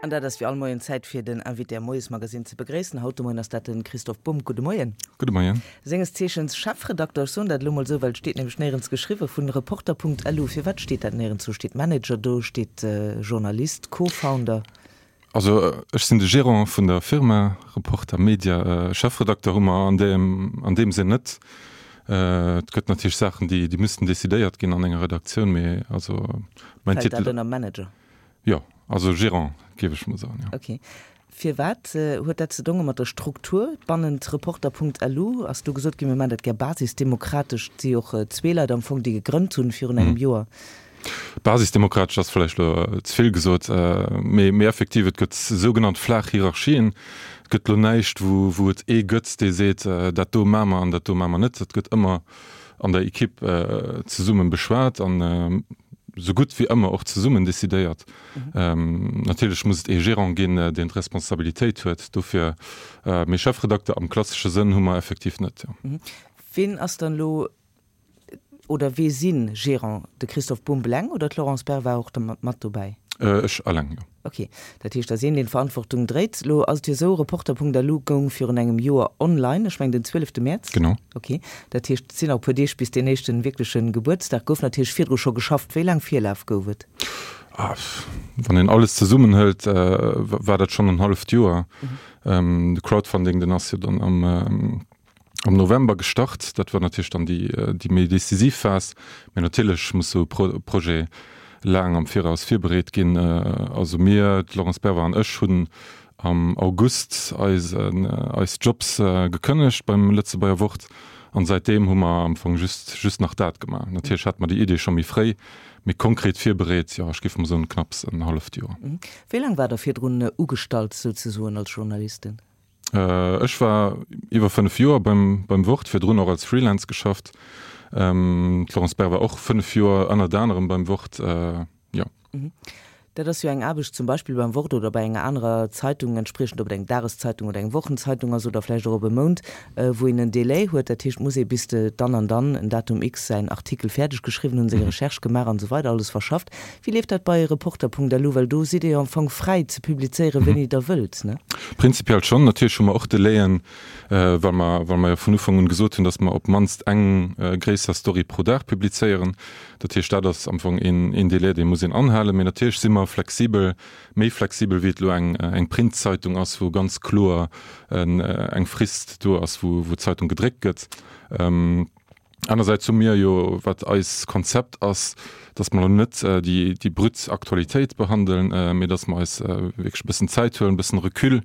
An dat ass wéi all Moien Zäit fir den Invité am Moiesmagasinn ze begréissen. Haut de Moien ass dat de Christoph Bumb. Gudde Moien. Gudde Moien. Senges Zeechens Chefredakter, ech soen dat elo mol esou, well et steet nämlech néierens geschriwwen, vun Reporter.lu. Firwat steet dat néierens do? Steet Manager do, steet Journalist, Co-Founder? Also ech sinn de Gérant vun der Firma Reporter Media. Chefredakter hu mer an deem, an deem Sënn net. Et gëtt natierlech Saachen, déi, déi müssten decidéiert ginn an enger Redaktioun, mee also mäin Fält dat Titel. ënner Manager? Jo, also Gérant, géif ech mol soen, jo. Ok. Firwat huet dat ze donge mat der Struktur bannent Reporter.lu? Ass do gesot ginn, mir maachen dat gär basisdemokratesch? Et si jo och zwee Leit am Fong, déi gegrënnt hunn virun engem Joer. Basisdemokratesch ass vläicht elo ze vill gesot, mee, mee effektiv, et gëtt sougenannt flaach Hierarchien. Et gëtt elo näischt, wou, wou et ee gëtt, dee seet, dat do maache mer an dat do maache mer net. Dat gëtt ëmmer an der Equipe zesumme beschwat an esou gutt wéi ëmmer och zesummen decidéiert. Natierlech muss et ee Gérant ginn, deen d'Responsabilitéit huet dofir, mee Chefredakter am klassesche Sënn hu mer effektiv net, jo. Ween ass dann elo oder wee si Gérant? De Christophe Bumb eleng oder d'Laurence Berr war och mat dobäi? Ech eleng, jo. Ok, dat heescht, et ass een, deen d'Verantwortung dréit. Elo ass et jo esou, Reporter.lu goung virun engem Joer online, ech mengen den 12 Mäerz. Genau. Ok, dat heescht, et sinn nach e puer Deeg bis deen éischte wierkleche Gebuertsdag. Gouf natierlech virdru scho geschafft. Wéi laang Virlaf gouf et? Wann een alles zesummenhëlt, war dat schonn en halleft Joer. De Crowdfunding, deen ass jo dann am am November gestart. Dat war natierlech dann déi, déi méi decisiv Phas. Mä natierlech muss esou e Projet laang am Viraus virbereet ginn. Also mir, d'Laurence Bervard an ech, hunn am August eisen, eis Jobs gekënnegt beim Lëtzebuerger Wort. An säitdeem hu mer am Fong just, just nach dat gemaach. Natierlech hate mer déi Idee scho méi fréi, mee konkret virbereet, jo, ech géif mol soen, knapps en halleft Joer. Wéi laang waart Der virdrun ugestallt souzesoen als Journalisten? Ech war iwwer 5 Joer beim beim Wort, virdrun och als Freelance geschafft. D'Florence Berr war och 5 Joer ënnert anerem beim Wort, jo. Dat ass jo eng Aarbecht zum Beispill beim Wort oder bei enger anerer Zeitung, entspriechend ob et eng Dageszeitung oder eng Wochenzeitung ass oder vläicht och op e Mount, wou een en Délai huet. Dat heescht, et muss ee bis de dann an dann, en Datum X, säin Artikel fäerdeg geschriwwen hunn, seng Recherche gemaach an esou weider, alles verschafft. Wéi leeft dat bei Reporter.lu? Well do sidd Dir jo am Fong fräi ze publizéieren, wéini Der wëllt, ne? Prinzipiell schonn. Natierlech hu mer och Delaien, well mer, well mer jo vun Ufank un gesot hunn, datt mer op d'mannst eng gréisser Story pro Dag publizéieren. Dat heescht, dat ass am Fong een, een Delai, dee muss een anhalen. Mee natierlech si mer flexibel, méi flexibel, wéi et elo eng, eng Printzeitung ass, wou ganz kloer eng Frist do ass, wou, wou d'Zeitung gedréckt gëtt. Anersäits hu mir jo, wat eis Konzept ass, datt mer elo net déi, déi brut Aktualitéit behandeln, mee datt mer eis wierklech e bëssen Zäit huelen, e bëssen Recul,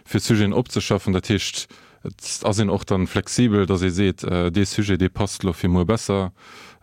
fir Sujeten opzeschaffen. Dat heescht, et ass een och dann flexibel, datt ee seet, dee Sujet, dee passt elo fir muer besser.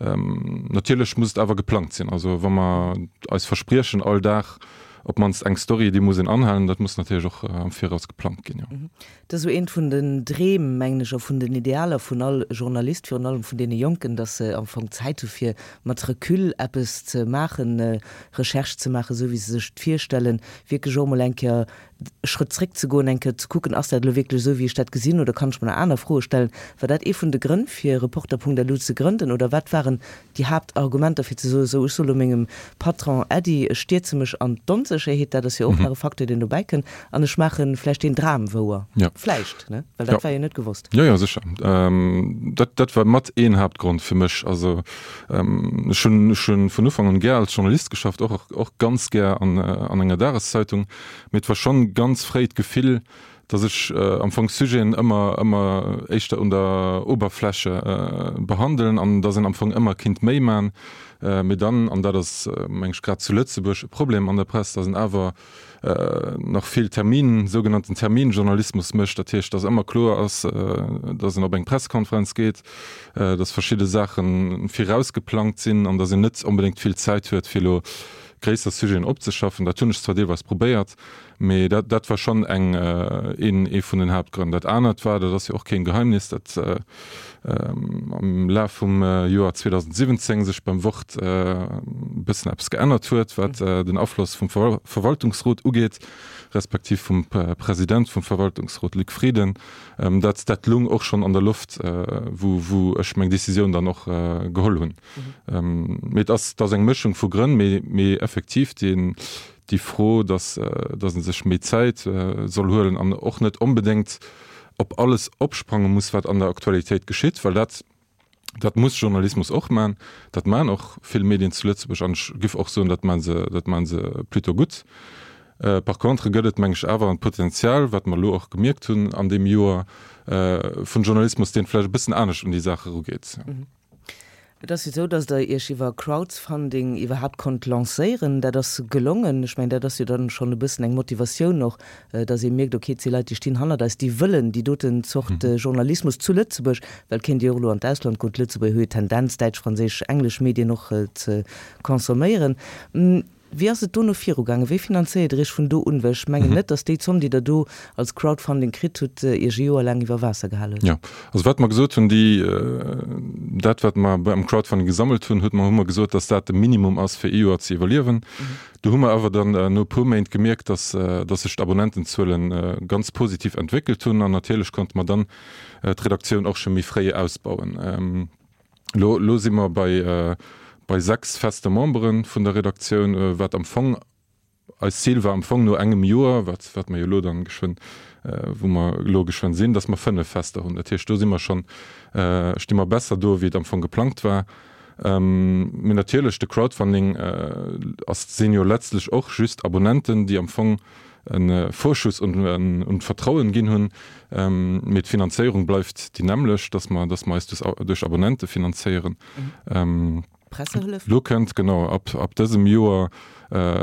Natierlech muss et awer geplangt sinn. Also wa mer eis verspriechen, all Dag op d'mannst eng Story, déi muss een anhalen, dat muss natierlech och am Viraus geplangt ginn, jo. Dat ass esou eent vun den Dreem, mengen ech, a vun den Idealer vun all Journalist, virun allem vun deene Jonken, datt se am Fong Zäit hu fir mat Recul eppes ze maachen, Recherche ze maachen, esou wéi se sech et virstellen, wierklech och emol eng Kéier e Schrëtt zréck ze goen, eng Kéier ze kucken, ass dat elo wierklech esou, wéi ech dat gesinn, oder kann ech mer nach aner Froe stellen? War dat ee vun de Grënn, fir Reporter.lu ze grënden, oder wat waren déi Haaptargumenter fir ze soen, esou ech soe lo mengem Patron Äddi, ech stierze mech an d'Onsécherheet, dat ass jo och nach e Facteur, deen dobäi kënnt, an ech maache vläicht deen Dram wouer. Vläicht, ne? Well dat war jo net gewosst. Jo, jo, sécher. Dat, dat war mat een Haaptgrond fir mech. Also ech hunn, ech hunn vun Ufank un gär als Journalist geschafft, och, och ganz gär an, an enger Dageszeitung, mee et war schonn ganz fréi d'Gefill, dass ech am Fong Sujeten ëmmer, ëmmer éischter un der Oberfläche behandelen an dass een am Fong ëmmer kinnt méi man. Mee dann, an dat ass meng ech grad zu Lëtzebuerg e Problem an der Press, dass een awer nach vill Termin, sougenannten Terminjournalismus mécht. Dat heescht, dass ëmmer kloer ass, dass een op eng Pressekonferenz geet, dass verschidde Saache virausgeplangt sinn an dass een net onbedéngt vill Zäit huet, fir elo gréisser Sujeten opzeschaffen. Dat hunn ech zwar deelweis probéiert, Mee dat, dat war schonn eng, een, ee vun den Haaptgrënn. Dat anert war, dat ass jo och keen Geheimnis, datt am Laf vum Joer 2017 sech beim Wort e bëssen eppes geännert huet, wat den Afloss vum Verwaltungsrot ugeet, respektiv vum President vum Verwaltungsrot Luc Frieden. Dat, dat lung och schonn an der Loft, wou, wou ech meng Decisioun dann och geholl hunn. Mee et ass, et ass eng Mëschung vu Grënn, mee, mee effektiv deen. déi Fro, dass, dass e sech méi Zäit soll huelen an och net onbedéngt op alles opsprange muss, wat an der Aktualitéit geschitt, well dat, dat muss Journalismus och man. Dat man och vill Medien zu Lëtzebuerg an ech giff och soen, dat man se, dat man se plutôt gutt. Par contre gëtt et, meng ech, awer en Potenzial, wat mer elo och gemierkt hunn an deem Joer, vun Journalismus, deen vläicht e bëssen anescht un déi Saach erugeet. Et ass jo esou, datt Der Iech iwwer Crowdfunding iwwerhaapt konnt lancéieren. Dat ass gelongen. Ech mengen, dat ass jo dann schonn e bëssen eng Motivatioun och, datt ee mierkt, okay, et si Leit, déi stinn hannert eis, déi wëllen déi doten Zort Journalismus zu Lëtzebuerg, well et kéint ee jo och elo an d'Ausland goen. D'Lëtzebuerger hu jo d'Tendenz, däitsch, franséisch, englesch Medien och ze consomméieren. Wéi ass et dono virugaangen? Wéi finanzéiert Der Iech vun do un? Well ech mengen net, datt déi Zomm, déi Der do als Crowdfunding kritt hutt, Iech e Joer laang iwwer Waasser gehal huet. Jo, also wat mer gesot hunn, déi, dat wat mer am Crowdfunding gesammelt hunn, huet mer, hu mer gesot, datt dat de Minimum ass fir ee Joer ze iwwerliewen. Do hu mer awer dann no e puer Méint gemierkt, datt, datt sech d'Abonnentenzuelen ganz positiv entwéckelt hunn an natierlech konnte mer dann d'Redaktioun och scho méi fréi ausbauen. Lo, lo si mer bei, bei 6 feste Membere vun der Redaktioun, wat am Fong eist Zil war am Fong no engem Joer, wat, wat mer jo elo dann geschwënn, wou mer elo geschwënn sinn, dass mer 5 fester hunn. Dat heescht, do si mer schonn, sti mer besser do, wéi et am Fong geplangt war. Mee natierlech, de Crowdfunding ass, sinn jo letztlech och just Abonnenten, déi am Fong e Vorschuss un d'Vertrauen ginn hunn, mee d'Finanzéierung bleift déi nämmlecht, dass mer, dass mer eis duerch Abonnente finanzéieren. Pressehëllef? Lo kënnt, genau, ab, ab dësem Joer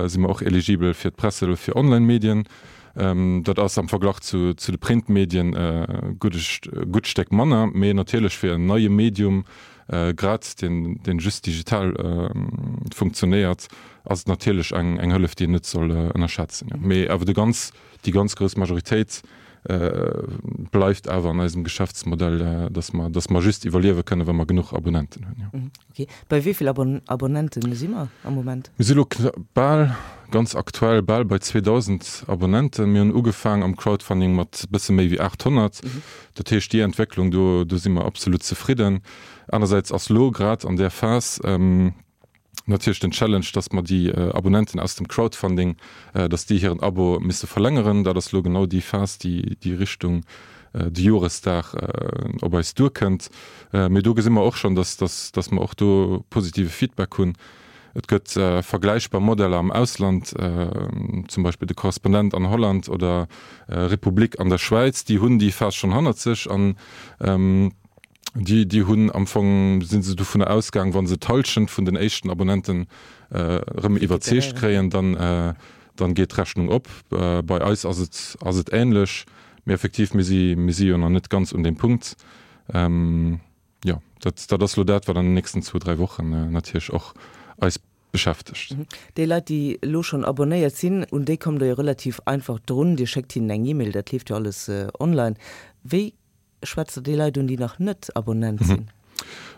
si mer och eligibel fir d'Pressehëllef fir Online-Medien. Dat ass am Verglach zu, zu de Printmedien e gutt Stéck manner, mee natierlech fir en neie Medium, Grad deen, deen just digital funktionéiert, ass et natierlech eng, eng Hëllef, déi een net soll ënnerschätzen. Mee awer de ganz, déi ganz grouss Majoritéit bleift awer an eisem Geschäftsmodell, dass mer, dass mer just iwwerliewe kënnen, wa mer genuch Abonnenten hunn, jo. Okay. Bei wéi vill Abonnenten si mer am Moment? Mir si lo bal, ganz aktuell, bal bei 2.000 Abonnenten. Mir hunn ugefaang am Crowdfunding mat bësse méi wéi 800. Dat heescht, déi Entwécklung do, do si mer absolut zefridden. Anersäits ass lo grad an där Phas natierlech den Challenge, dass mer déi Abonnenten aus dem Crowdfunding, dass déi hiren Abo misse verlängeren. Dat ass lo genau déi Phas, déi déi Richtung de Joresdag op eis duerkënnt. Mee do gesi mer och schonn, dass, dass, dass mer och do positive Feedback hunn. Et gëtt vergläichbar Modeller am Ausland, zum Beispill de Korrespondent an Holland oder Republik an der Schwäiz, déi hunn déi Phas schonn hannert sech an déi, déi hunn am Fong, si se dovunner ausgaang, wa se d'Hallschent vun den éischten Abonnenten erëm iwwerzeegt kréien, dann, dann geet d'Rechnung op. Bei eis ass et, ass et änlech, mee effektiv, mir si, mir si jo nach net ganz un deem Punkt. Jo, dat, dat ass elo dat, wat an den nächsten zwou, dräi Wochen natierlech och eis beschäftegt. Déi Leit, déi elo schonn abonnéiert sinn, un déi kommt Der jo relativ einfach drun. Dir schéckt hinnen eng E-Mail, dat leeft jo alles online. Wéi schwätzt Der déi Leit un, déi nach net Abonnent sinn?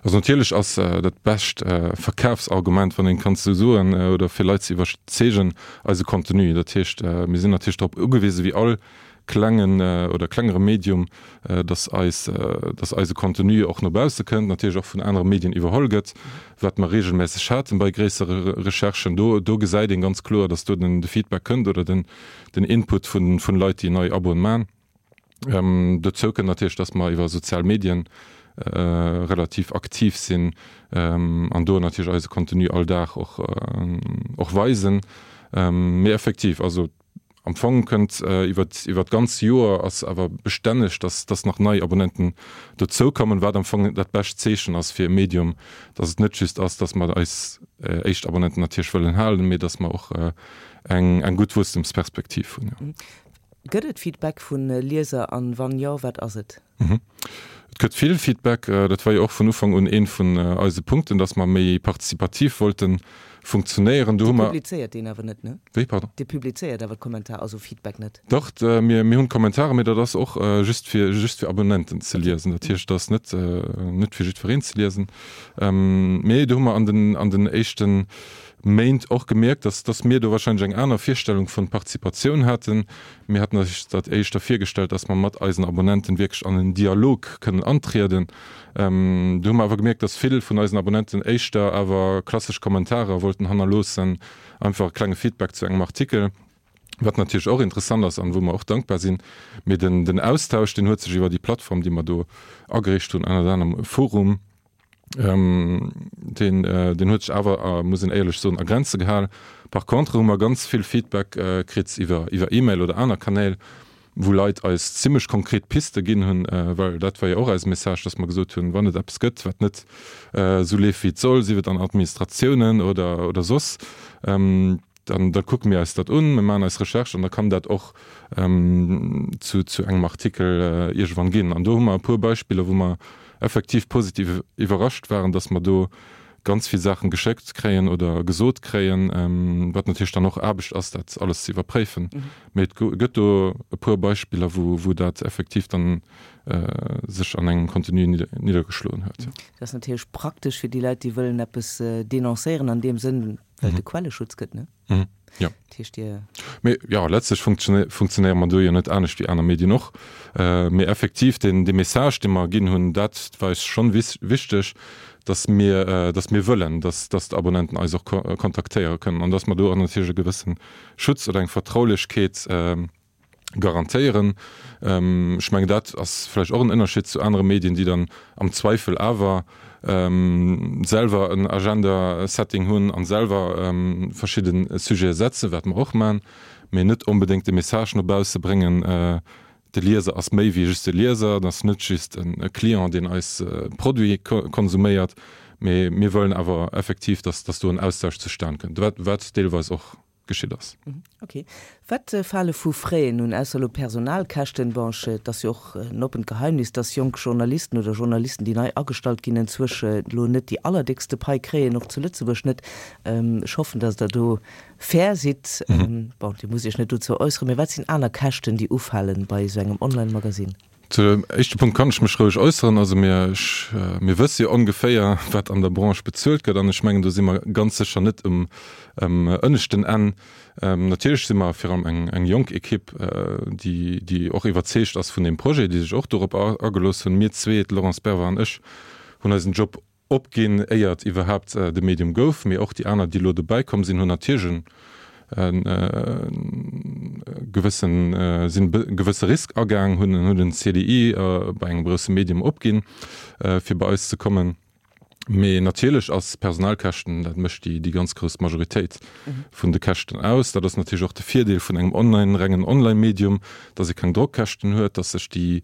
Also natierlech ass dat bescht Verkafsargument, wann een et kann esou soen, oder fir Leit ze iwwerzeegen, eise Contenu. Dat heescht, mir sinn natierlech drop ugewisen, wéi all klengen oder klengere Medium, dass eis, dass eise Contenu och no bausse kënnt, natierlech och vun anere Medien iwwerholl gëtt, wat mer regelmässeg haten bei gréissere Recherchen. Do, do gesäit een ganz kloer, dass do den, de Feedback kënnt oder den, den Input vun, vun Leit, déi nei Aboen man. Dozou kënnt natierlech, dass mer iwwer sozial Medien relativ aktiv sinn an do natierlech eise Contenu all Dag och, och weisen. Mee effektiv, also Am Fong kënnt iwwer iwwer d'ganz Joer ass awer bestänneg, dass dass nach nei Abonnenten dozoukommen, wat am Fong dat bescht Zeechen ass fir e Medium, dass et net just ass, dass mer eis éischt Abonnenten natierlech wëllen halen, mee dass mer och eng eng gutt Wuesstemsperspektiv hunn. Gëtt et Feedback vu Lieser an wann jo, wat ass et? Et gëtt vill Feedback. Dat war jo och vun Ufank un ee vun eise Punkten, dass mer méi participativ wollte funktionéieren. Do hu mer. Dir publizéiert deen awer net, ne? Wéi, pardon? Dir publizéiert awer d'Kommentar, also Feedback net? Dach, mir, mir hunn d'Kommentare, mee dat ass och just fir, just fir Abonnenten ze liesen. Dat heescht, dat ass net, net fir jiddwereen ze liesen. Mee do hu mer an den, an den éischten. Méint och gemierkt, dass, dass mir do wahrscheinlech eng aner Virstellung vun Participatioun haten. Mir haten eis dat éischter virgestallt, dass mer mat eisen Abonnenten wierklech an en Dialog kënnen antrieden. Do hu mer awer gemierkt, dass vill vun eisen Abonnenten éischter awer klassesch Kommentarer wollten hannerloossen, einfach e klenge Feedback zu engem Artikel, wat natierlech och interessant ass an wou mer och dankbar sinn. Mee den, den Austausch, deen huet sech iwwer déi Plattform, déi mer do ageriicht hunn, ënnert anerem e Forum, Deen, deen huet sech awer, muss een éierlech soen, a Grenze gehalen. Par contre hu mer ganz vill Feedback kritt iwwer, iwwer E-Mail oder aner Kanäl, wou Leit eis zimmlech konkret Piste ginn hunn, well dat war jo och eise Message, dass mer gesot hunn, wann et eppes gëtt, wat net esou leeft, wéi et soll, sief et an Administratiounen oder, oder soss, Dann da kucke mir eis dat un, mir maachen eis Recherche an da kann dat och zu, zu engem Artikel iergendwann ginn. An do hu mer e puer Beispiller, wou mer effektiv positiv iwwerrascht waren, dass mer do ganz vill Saachen geschéckt kréien oder gesot kréien, wat natierlech dann och Aarbecht ass, dat alles ze iwwerpréifen. Mee et gëtt do e puer Beispiller, wou, wou dat effektiv dann sech an engem Contenu niddergeschloen huet. Dat ass natierlech praktesch fir déi Leit, déi wëllen eppes denoncéieren an deem Sënn. Well et e Quelleschutz gëtt, ne? Mhm. Ja. Dat heescht, Dir. Mee jo, letztlech funktionéiere mer do jo net anescht wéi aner Medien och. Mee effektiv, deen, dee Message, dee mer ginn hunn, dat war eis schonn wichteg, dass mir, dass mir wëllen, dass, dass d'Abonnenten eis och kontaktéiere kënnen an dass mer do och natierlech e gewësse Schutz oder eng Vertraulechkeet garantéieren. Ech mengen, dat ass vläicht och en Ënnerscheed zu anere Medien, déi dann am Zweifel awer selwer en Agenda-Setting hunn a selwer verschidde Sujete setzen, wat mer och maachen, mee net onbedéngt de Message no bausse bréngen, de Lieser ass méi wéi just e Lieser, et ass net just e Client, deen eis Produite konsuméiert, mee mir wëllen awer effektiv, dass do en Austausch zustan kënnt, wat deelweis och geschitt ass. Ok. Wat fale vu Fräen un, ausser elo Personalkäschten? Bon, ech, et ass jo och en oppent Geheimnis, dass jonk Journalisten oder Journalisten, déi nei agestallt ginn, enzwousch elo net déi allerdéckste Pai kréien, och zu Lëtzebuerg net. Ech hoffen, dass Der do fair sidd. Bon, Dir musst Iech net dozou äusseren, mä wat sinn aner Käschten, déi ufalen bei esou engem Online-Magasinn? Zu dem éischte Punkt kann ech mech roueg äusseren. Also mir, ech, mir wësse jo ongeféier, wat an der Branche bezuelt gëtt an ech mengen, do si mer ganz sécher net um, um ënneschten Enn. Natierlech si mer virun allem eng, eng jonk Ekipp, déi, déi och iwwerzeegt ass vun deem Projet, déi sech och dorop agelooss hunn. Mir zwee, d'Laurence Bervard an ech, hunn eisen Job opginn, éier et iwwerhaapt de Medium gouf, mee och déi aner, déi elo dobäi komm sinn, hunn natierlech e gewëssen, sinn e gewësse Risk agaang, hunn hunn en CDI bei engem grousse Medium opginn, fir bei eis ze kommen. Mee natierlech ass Personalkäschten, dat mécht déi déi ganz grouss Majoritéit vun de Käschten aus. Dat ass natierlech och de Virdeel vun engem online, rengen Online-Medium, dass ee keng Drockkäschten huet, dass sech déi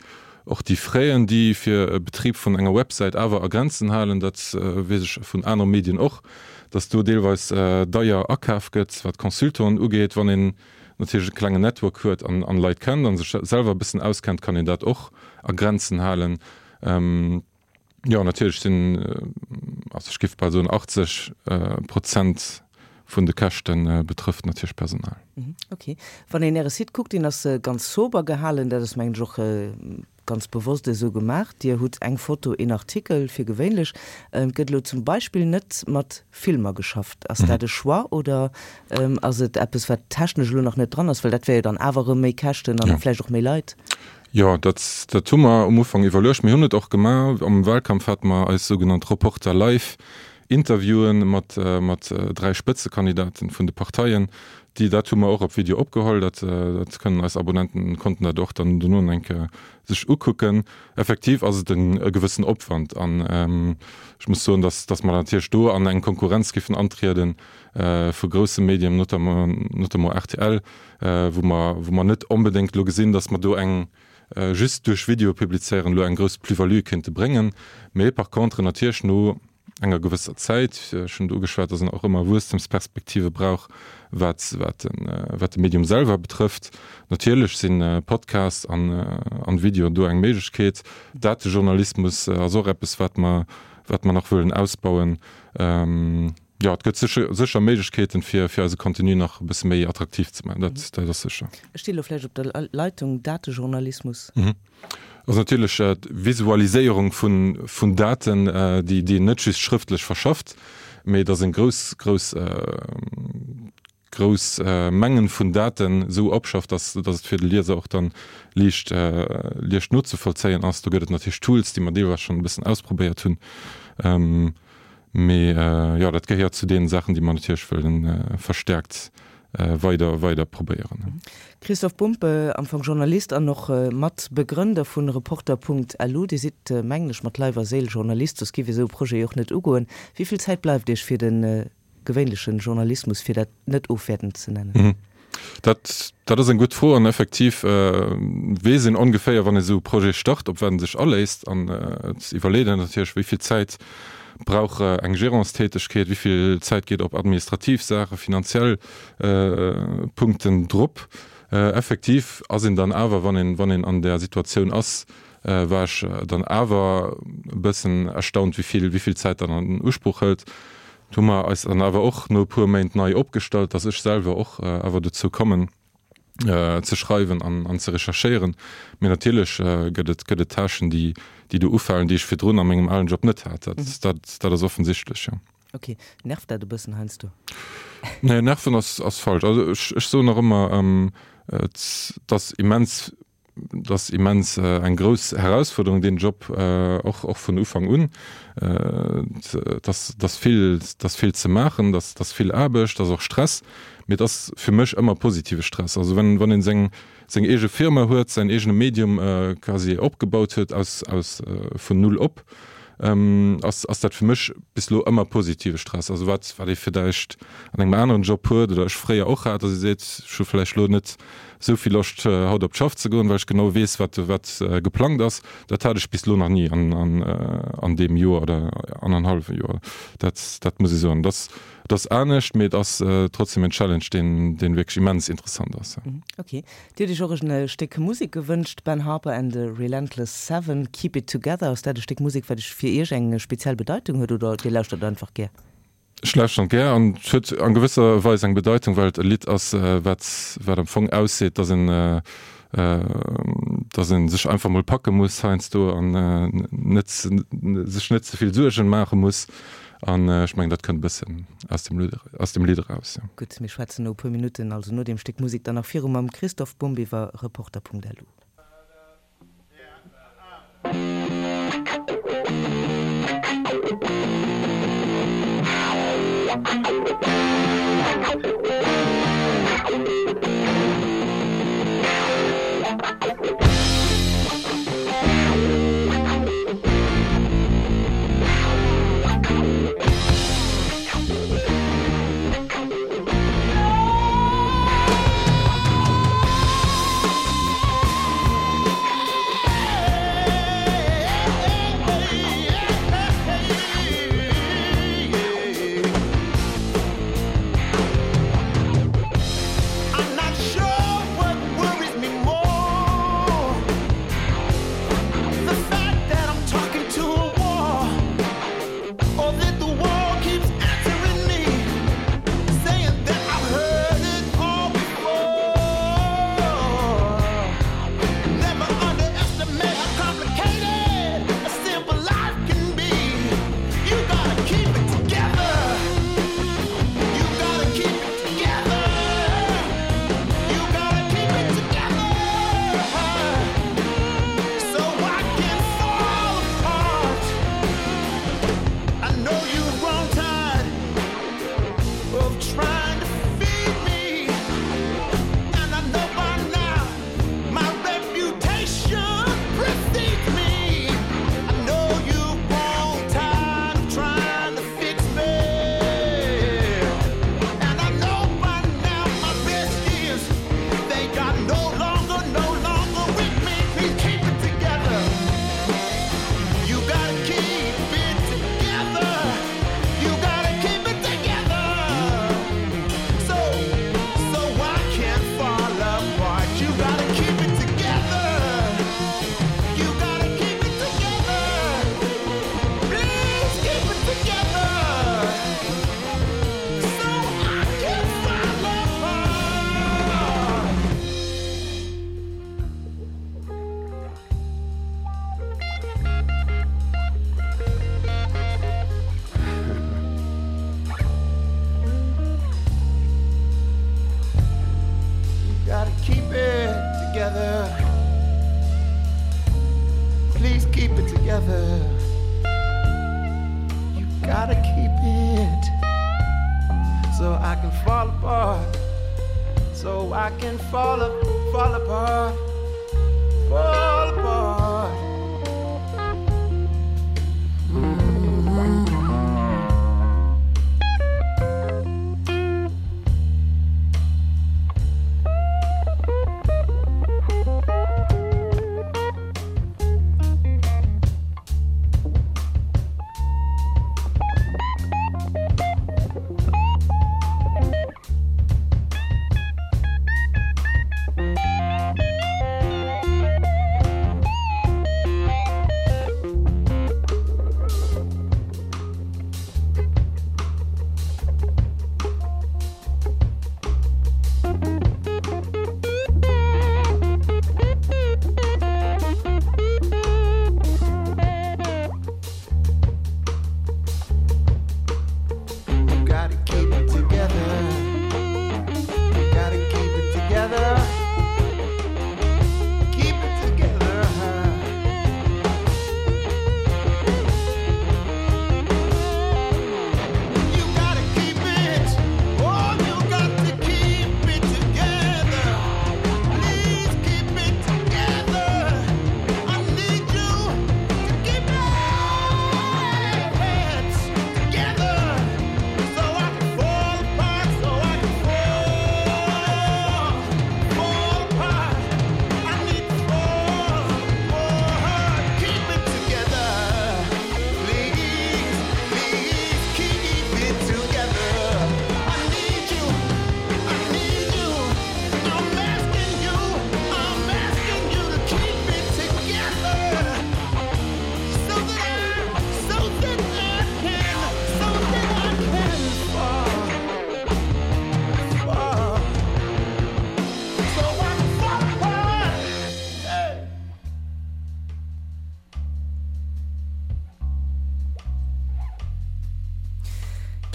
Och déi Fräen, déi fir e Betrib vun enger Websäit awer a Grenzen halen, dat weess ech vun anere Medien och, datt do deelweis deier akaf gëtt, wat Consultanten ugeet. Wann een natierlech e klengen Network huet an Leit kennt a sech selwer e bëssen auskennt, kann een dat och a Grenzen halen. Jo, natierlech sinn, also ech géif bal soen 80 Prozent vun de Käschte betrëfft natierlech Personal. Ok. Wann een Äre Site kuckt, deen ass ganz sober gehalen, dat ass mengen ech och ganz bewosst esou gemaach. Dir hutt eng Foto, een Artikel fir gewéinlech. Et gëtt elo zum Beispill net mat Filmer geschafft. Ass dat e Choix oder ass et eppes, wat technesch elo nach net dran ass? Well dat wär jo dann awer erëm méi Käschten an vläicht och méi Leit. Jo, dat, dat hu mer um Ufank iwwerluecht. Mir hunn et och gemaach. Am Wahlkampf hate mer eis sougenannt Reporter live Interviewen mat, mat 3 Spëtzekandidaten vun de Parteien. Déi, dat hu mer och op Video opgeholl. Dat, dat kënnen eis Abonnenten, konnten dat och dann dono eng Kéier sech ukucken. Effektiv ass et en, e gewëssen Opwand an ech muss soen, dass, dass mer natierlech do an eng Konkurrenz giffen antrieden vu grousse Medien, notamment, notamment rtl, wou mer, wou mer net onbedéngt elo gesinn, dass mer do eng, just duerch Videoe publizéieren, elo eng grouss Plus-value kéinte bréngen. Mee par contre natierlech no enger gewësser Zäit, ech hunn et ugeschwat, dass een och ëmmer Wuesstemsperspektive brauch, wat, wat de, wat de Medium selwer betrëfft. Natierlech si Podcast an, an Video do eng Méiglechkeet. Datejournalismus ass och eppes, wat mer, wat mer nach wëllen ausbauen. Jo, et gëtt sécher, sécher Méiglechkeeten, fir, fir eise Contenu nach e bësse méi attraktiv ze maachen. Dat, dat ass sécher. Ech sti lo vläicht op der Leitung, Datejournalismus. Mhm. Ass natierlech d'Visualiséierung vun, vun Daten, déi, déi een net just schrëftlech verschafft. Mee datt een grouss, grouss, grouss Mengen vun Daten esou opschafft, datt, datt et fir de Lieser och dann liicht, liicht nozevollzéien ass. Do gëtt et natierlech Tools, déi mer deelweis schonn e bëssen ausprobéiert hunn. Mee jo, dat gehéiert zu deenen Saachen, déi mer natierlech wëllen verstärkt weider, weider probéieren. Christoph Bumpe, am Fong Journalist an och Matbegrënder vun Reporter.lu. Dir sidd, mengen ech, mat Leif a Séil Journalist, soss giff Dir esou e Projet jo och net ugoen. Wéi vill Zäit bleift Iech fir de gewéinlechen Journalismus, fir dat net ofwäertend ze nennen? Dat, dat ass eng gutt Fro an effektiv weess een ongeféier, wann ee sou e Projet start, op wat en sech aléisst. An et iwwerleet een natierlech, wéi vill Zäit brauch eng Gérantstätegkeet, wéi vill Zäit geet op administrativ Saachen, finanziell Punkten drop. Effektiv ass een dann awer, wann een, wann een an där Situatioun ass, war ech dann awer e bëssen erstaunt, wéi vill, wéi vill Zäit dat an Usproch hëlt. Do hu mer eis dann awer och no e puer Méint nei opgestallt, dass ech selwer och awer dozou kommen ze schreiwen an ze recherchéieren. Mee natierlech gëtt et, gëtt et Tâchen, déi, déi do ufalen, déi ech virdrun a mengem alen Job net hat. Dat, dat, dat ass offensichtlech, jo. Ok. Nervt dat e bëssen heiansdo? Nee, nerven ass, ass falsch. Also ech, ech soen nach ëmmer, et ass immens Et ass immens eng grouss Herausfuerderung, deen Job, och och vun Ufank un. Et ass et ass vill, et ass vill ze maachen, et ass et ass vill Aarbecht, et ass och Stress, mee et ass fir mech ëmmer positive Stress. Also wenn wann een seng seng eege Firma huet, säin eegene Medium quasi opgebaut huet aus aus vun null op, ass ass dat fir mech bis elo ëmmer positive Stress. Also wat wat ee villäicht an engem aneren Job huet oder ech fréier och hat, datt ee seet, ech hu vläicht elo net esou vill Loscht haut op d'Schaff ze goen, well ech genau weess wat wat geplangt ass. Dat hat ech bis elo nach ni an an an deem Joer oder annerhallwe Joer. Dat dat muss ech soen. Et ass et ass anescht, mee et ass trotzdem en Challenge deen deen wierklech immens interessant ass. Ok. Dir hutt Iech och en Stéck Musek gewënscht, Ben Harper and the Relentless Seven, Keep It Together. Ass dat e Stéck Musek, wat Iech fir Iech eng speziell Bedeitung huet oder Dir lauschtert einfach gär? Ech lauschteren gär an et huet an gewësser Weis eng Bedeitung, well et e Lidd ass, wat wat am Fong ausseet, dass en dass en sech einfach mol packe muss heiansdo an net sech net ze vill Suergen maache muss. An ech mengen, dat kënnt e bëssen aus dem aus dem Lidd eraus, jo. Gutt, mir schwätzen no e puer Minutten, also no deem Stéck Musek, dann nach viru mam Christoph Bumb iwwer Reporter.lu. can fall apart. So I can fall, fall apart. Fall apart.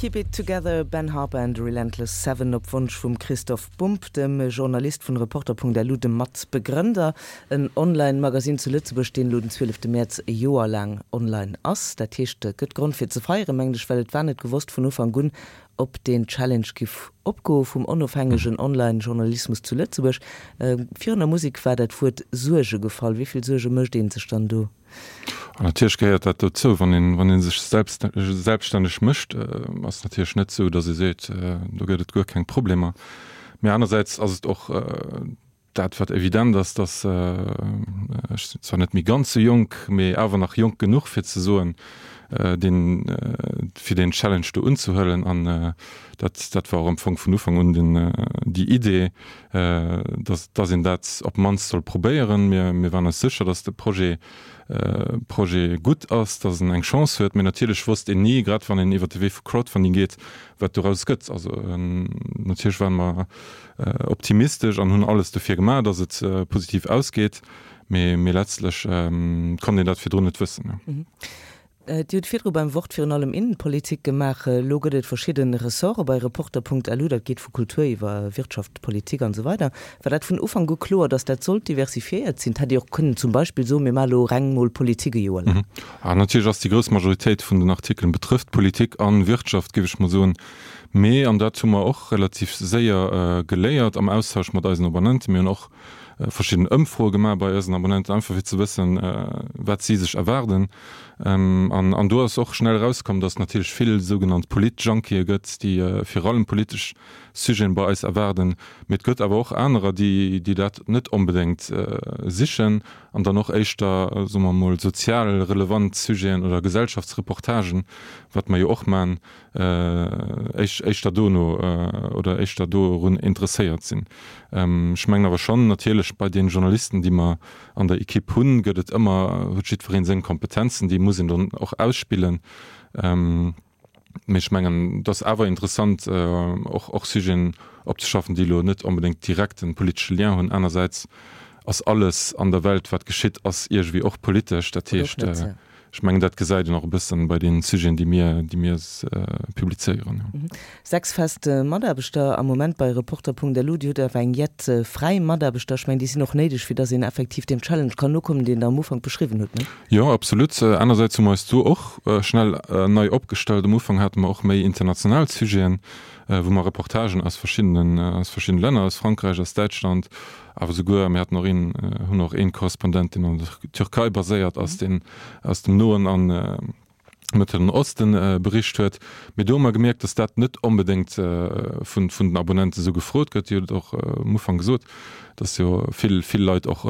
Keep It Together, Ben Harper and the Relentless Seven, op Wonsch vum Christoph Bumb, dem Journalist vun Reporter.lu, dem Matbegrënder. En Online-Magasinn zu Lëtzebuerg, deen elo den 12 Mäerz e Joer laang online ass. Dat heescht, et gëtt Grond fir ze feieren, mengen ech, well et war net gewosst vun Ufank un, ob deen Challenge giff opgoe vum onofhängegen Online-Journalismus zu Lëtzebuerg. Virun der Musek war dat Wuert Suerge gefall. Wéi vill Suerge mécht ee sech dann do? An natierlech gehéiert dat dozou, wann een, wann ee sech selbst, selbststänneg mécht, ass et natierlech net esou, datt ee seet, do gëtt et guer keng Problemer. Mee anersäits ass et och dat, wat evident ass, datt, ech sinn zwar net méi ganz esou jonk, mee awer nach jonk genuch fir ze soen, deen, fir deen Challenge do unzehuelen. An dat, dat war och am Fong vun Ufank un den, déi Idee, dass, dass een dat op d'mannst soll probéieren. Mir, mir waren eis sécher, dass de Projet, Projet gutt ass, dass en eng Chance huet. Mee natierlech wosst een ni, grad wann een iwwert de Wee vu Crowdfunding geet, wat doraus gëtt. Also natierlech ware mer optimistesch an hunn alles dofir gemaach, dass et positiv ausgeet. Mee, mee letztlech konnt een dat virdrun net wëssen. Dir hutt virdru beim Wort virun allem Innenpolitik gemaach. Elo gëtt et verschidde Ressorte bei Reporter.lu, dat geet vu Kultur iwwer Wirtschaft, Politik an esou weider. War dat vun Ufank u kloer, datt dat sollt diversifiéiert sinn? Hätt Dir och kënnen zum Beispill soen, mir maache elo reng mol Politik e Joer laang? Natierlech ass déi grouss Majoritéit vun den Artikelen betrëfft Politik an Wirtschaft, géif ech mol soen. Mee, an dat hu mer och relativ séier geléiert am Austausch mat eisen Abonnenten, mir hunn och verschidden Ëmfroe gemaach bei eisen Abonnenten, einfach fir ze wëssen, wat si sech erwaarden. An do ass och schnell erauskomm, datt et natierlech vill sougenannt Polit-Junkië gëtt, déi vir allem politesch Sujeten bei eis erwaarden. Mee et gëtt awer och anerer, déi dat net onbedéngt sichen an dann och éischter, soe mer emol, sozial relevant Sujeten oder Gesellschaftsreportagen, wat mer jo och man, éischter dono oder éischter dorun interesséiert sinn. Ech mengen awer schonn, natierlech bei deene Journalisten, déi mer an der Equipe hunn, gëtt et ëmmer, huet jiddweree seng Kompetenzen, déi muss een dann och ausspillen. Mee ech mengen, et ass awer interessant, och och Sujeten opzeschaffen, déi elo net onbedéngt direkt e politesche Lien hunn. Anersäits ass alles an der Welt, wat geschitt, ass iergendwéi och politesch. Dat heescht, Ech mengen, dat gesäit een och e bëssen bei deenen Sujeten, déi mir, déi mir publizéieren. 6 fest Mataarbechter am Moment bei Reporter.lu. Dir hutt awer eng jett fräi Mataarbechter. Ech mengen, déi sinn och néideg, fir dass een effektiv deem Challenge kann nokommen, deen Der am Ufank beschriwwen hutt, ne? Jo, absolut. Anersäits hu mer eis do och schnell nei opgestallt. Am Ufank hate mer och méi international Sujeten. wou mer Reportagen aus verschiddenen, aus verschiddenen Länner, aus Frankräich, aus Däitschland, awer souguer, mir haten och een, hunn och een Korrespondent, deen an der Türkei baséiert ass, deen aus dem Noen an Mëttleren Osten bericht huet. Mee do hu mer gemierkt, datt dat net onbedéngt vun, vun den Abonnenten esou gefrot gëtt. Dir hutt et och um Ufank gesot, datt jo vill, vill Leit och